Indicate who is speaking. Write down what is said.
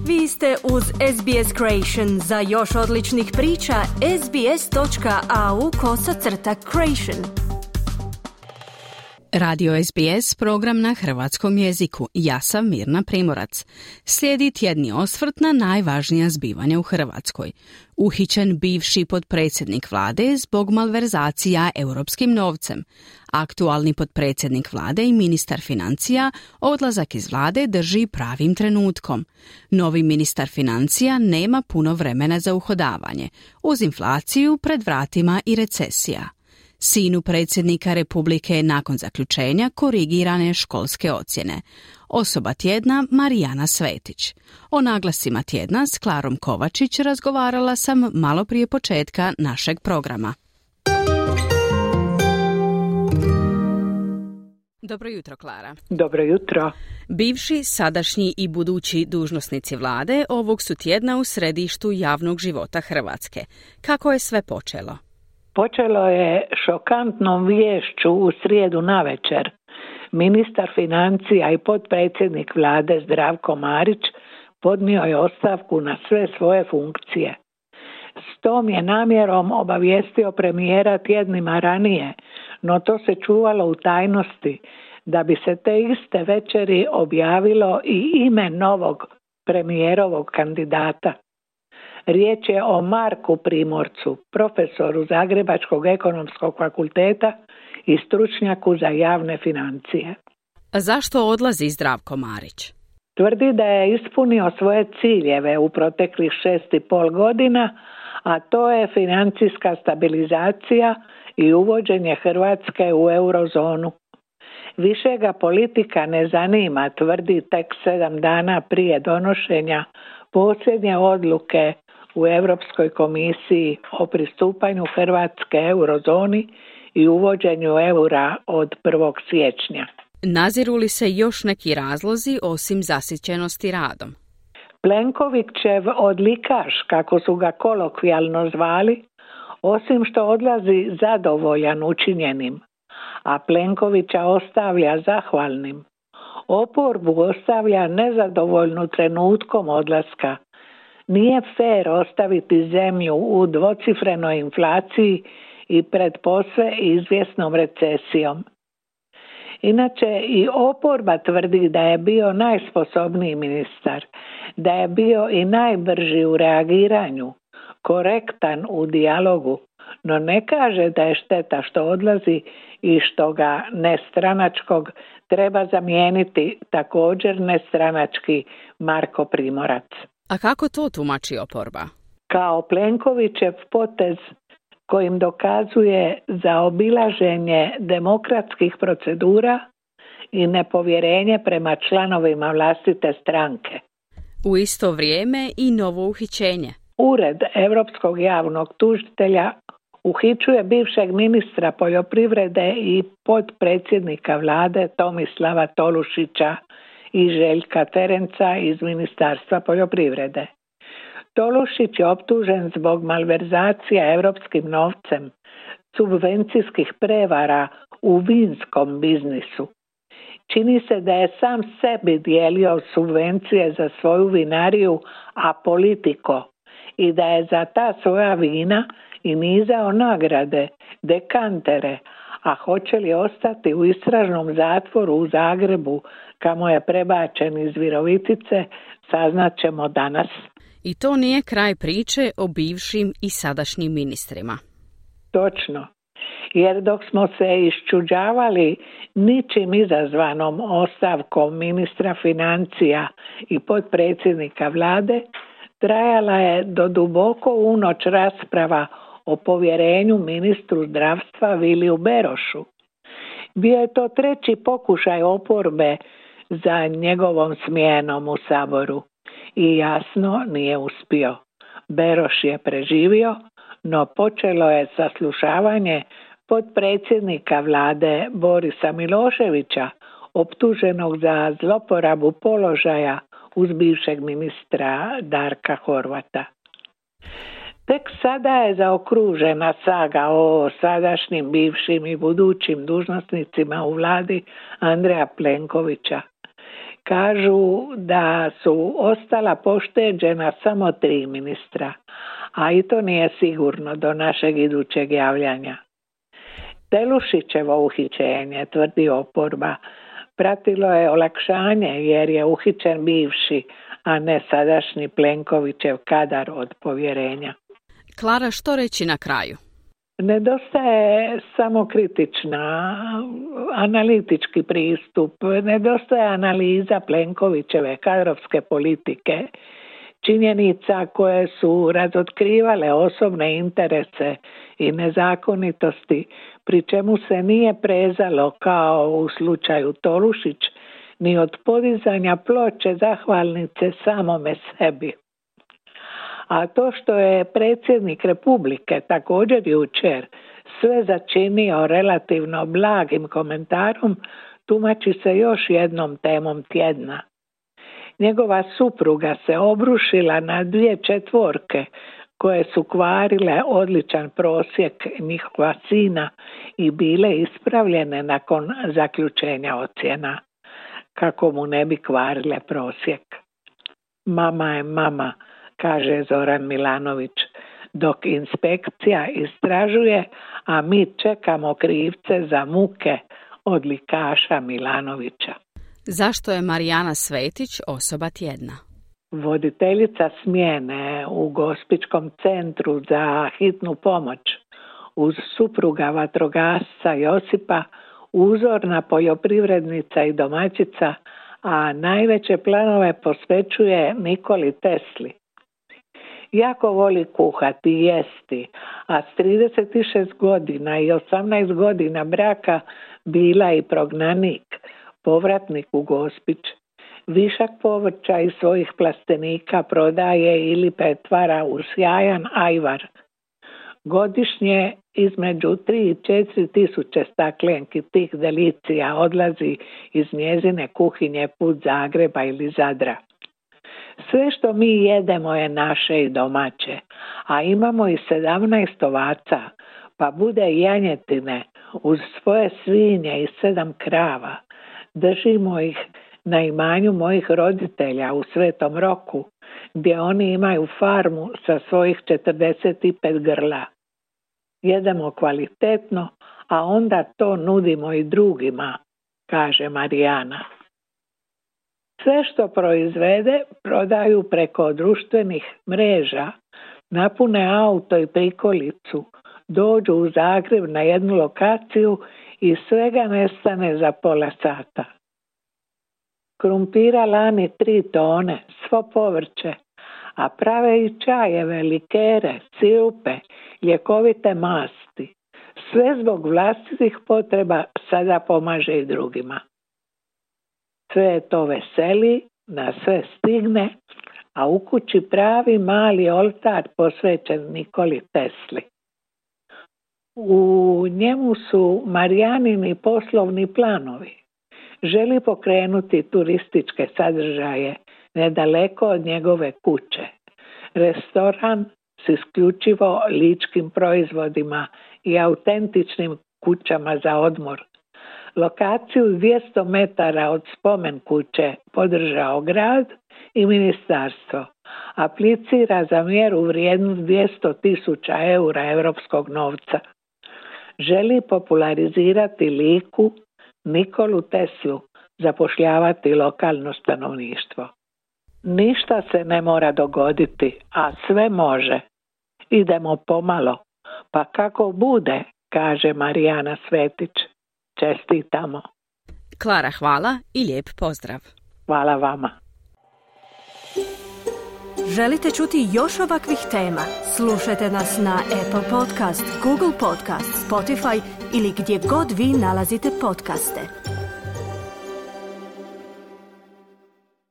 Speaker 1: Vi ste uz SBS Creation. Za još odličnih priča, sbs.au/creation.
Speaker 2: Radio SBS, program na hrvatskom jeziku. Ja sam Mirna Primorac. Slijedi tjedni osvrt na najvažnija zbivanja u Hrvatskoj. Uhićen bivši potpredsjednik vlade zbog malverzacija europskim novcem. Aktualni potpredsjednik vlade i ministar financija odlazak iz vlade drži pravim trenutkom. Novi ministar financija nema puno vremena za uhodavanje. Uz inflaciju pred vratima i recesija. Sinu predsjednika Republike nakon zaključenja korigirane školske ocjene. Osoba tjedna Marijana Svetić. O naglascima tjedna s Klarom Kovačić razgovarala sam malo prije početka našeg programa. Dobro jutro, Klara.
Speaker 3: Dobro jutro.
Speaker 2: Bivši, sadašnji i budući dužnosnici vlade ovog su tjedna u središtu javnog života Hrvatske. Kako je sve počelo?
Speaker 3: Počelo je šokantnom viješću u srijedu navečer. Ministar financija i potpredsjednik vlade Zdravko Marić podnio je ostavku na sve svoje funkcije. S tom je namjerom obavijestio premijera tjednima ranije, no to se čuvalo u tajnosti, da bi se te iste večeri objavilo i ime novog premijerovog kandidata. Riječ je o Marku Primorcu, profesoru Zagrebačkog ekonomskog fakulteta i stručnjaku za javne financije.
Speaker 2: A zašto odlazi Zdravko Marić?
Speaker 3: Tvrdi da je ispunio svoje ciljeve u proteklih 6,5 godina, a to je financijska stabilizacija i uvođenje Hrvatske u eurozonu. Više ga politika ne zanima, tvrdi tek 7 dana prije donošenja posljednje odluke u Europskoj komisiji o pristupanju Hrvatske eurozoni i uvođenju eura od 1. siječnja.
Speaker 2: Naziru li se još neki razlozi osim zasićenosti radom?
Speaker 3: Plenkovićev odlikaš, kako su ga kolokvijalno zvali, osim što odlazi zadovoljan učinjenim, a Plenkovića ostavlja zahvalnim, oporbu ostavlja nezadovoljnu trenutkom odlaska. Nije fer ostaviti zemlju u dvocifrenoj inflaciji i pred posve izvjesnom recesijom. Inače, i oporba tvrdi da je bio najsposobniji ministar, da je bio i najbrži u reagiranju, korektan u dijalogu, no ne kaže da je šteta što odlazi i što ga nestranačkog treba zamijeniti također nestranački Marko Primorac.
Speaker 2: A kako to tumači oporba?
Speaker 3: Kao Plenkovićev potez kojim dokazuje zaobilaženje demokratskih procedura i nepovjerenje prema članovima vlastite stranke.
Speaker 2: U isto vrijeme i novo uhićenje.
Speaker 3: Ured Europskog javnog tužitelja uhićuje bivšeg ministra poljoprivrede i potpredsjednika vlade Tomislava Tolušića i Željka Ferenca iz Ministarstva poljoprivrede. Tolušić je optužen zbog malverzacija europskim novcem, subvencijskih prevara u vinskom biznisu. Čini se da je sam sebi dijelio subvencije za svoju vinariju Apolitico i da je za ta svoja vina i nizao nagrade, dekantere, a hoće li ostati u istražnom zatvoru u Zagrebu, kamo je prebačen iz Virovitice, saznat ćemo danas.
Speaker 2: I to nije kraj priče o bivšim i sadašnjim ministrima.
Speaker 3: Točno, jer dok smo se iščuđavali ničim izazvanom ostavkom ministra financija i potpredsjednika vlade, trajala je do duboko u noć rasprava o povjerenju ministru zdravstva Viliju Berošu. Bio je to treći pokušaj oporbe za njegovom smjenom u Saboru i jasno nije uspio. Beroš je preživio, no počelo je saslušavanje potpredsjednika vlade Borisa Miloševića, optuženog za zloporabu položaja uz bivšeg ministra Darka Horvata. Tek sada je zaokružena saga o sadašnjim, bivšim i budućim dužnosnicima u vladi Andreja Plenkovića. Kažu da su ostala pošteđena samo 3 ministra, a i to nije sigurno do našeg idućeg javljanja. Telušićevo uhićenje, tvrdi oporba, pratilo je olakšanje jer je uhićen bivši, a ne sadašnji Plenkovićev kadar od povjerenja.
Speaker 2: Klara, što reći na kraju?
Speaker 3: Nedostaje samokritična, analitički pristup, nedostaje analiza Plenkovićeve kadrovske politike, činjenica koje su razotkrivale osobne interese i nezakonitosti, pri čemu se nije prezalo kao u slučaju Tolušić, ni od podizanja ploče zahvalnice samome sebi. A to što je predsjednik Republike također jučer sve začinio relativno blagim komentarom, tumači se još jednom temom tjedna. Njegova supruga se obrušila na 2 četvorke koje su kvarile odličan prosjek njihova sina i bile ispravljene nakon zaključenja ocjena, kako mu ne bi kvarile prosjek. Mama je mama, kaže Zoran Milanović, dok inspekcija istražuje, a mi čekamo krivce za muke odlikaša Milanovića.
Speaker 2: Zašto je Marijana Svetić osoba tjedna?
Speaker 3: Voditeljica smjene u Gospićkom centru za hitnu pomoć uz supruga vatrogasca Josipa, uzorna poljoprivrednica i domaćica, a najveće planove posvećuje Nikoli Tesli. Jako voli kuhati i jesti, a s 36 godina i 18 godina braka bila i prognanik, povratnik u Gospić. Višak povrća iz svojih plastenika prodaje ili pretvara u sjajan ajvar. Godišnje između 3 i 4 tisuće staklenki tih delicija odlazi iz njezine kuhinje put Zagreba ili Zadra. Sve što mi jedemo je naše i domaće, a imamo i 17 ovaca, pa bude janjetine uz svoje svinje i 7 krava. Držimo ih na imanju mojih roditelja u Svetom Roku, gdje oni imaju farmu sa svojih 45 grla. Jedemo kvalitetno, a onda to nudimo i drugima, kaže Marijana. Sve što proizvede prodaju preko društvenih mreža, napune auto i prikolicu, dođu u Zagreb na jednu lokaciju i svega nestane za pola sata. Krumpira lani 3 tone, svo povrće, a prave i čajeve, likere, sirupe, ljekovite masti. Sve zbog vlastitih potreba sada pomaže i drugima. Sve je to veseli, na sve stigne, a u kući pravi mali oltar posvećen Nikoli Tesli. U njemu su Marijanini poslovni planovi. Želi pokrenuti turističke sadržaje nedaleko od njegove kuće. Restoran s isključivo ličkim proizvodima i autentičnim kućama za odmor. Lokaciju 200 metara od spomen kuće podržao grad i ministarstvo. Aplicira za mjeru vrijednu 200.000 eura europskog novca. Želi popularizirati Liku, Nikolu Teslu, zapošljavati lokalno stanovništvo. Ništa se ne mora dogoditi, a sve može. Idemo pomalo, pa kako bude, kaže Marijana Svetić. Čestitamo.
Speaker 2: Klara, hvala i lijep pozdrav.
Speaker 3: Hvala vama.
Speaker 1: Želite čuti još ovakvih tema? Slušajte nas na Apple Podcast, Google Podcast, Spotify ili gdje god vi nalazite podcaste.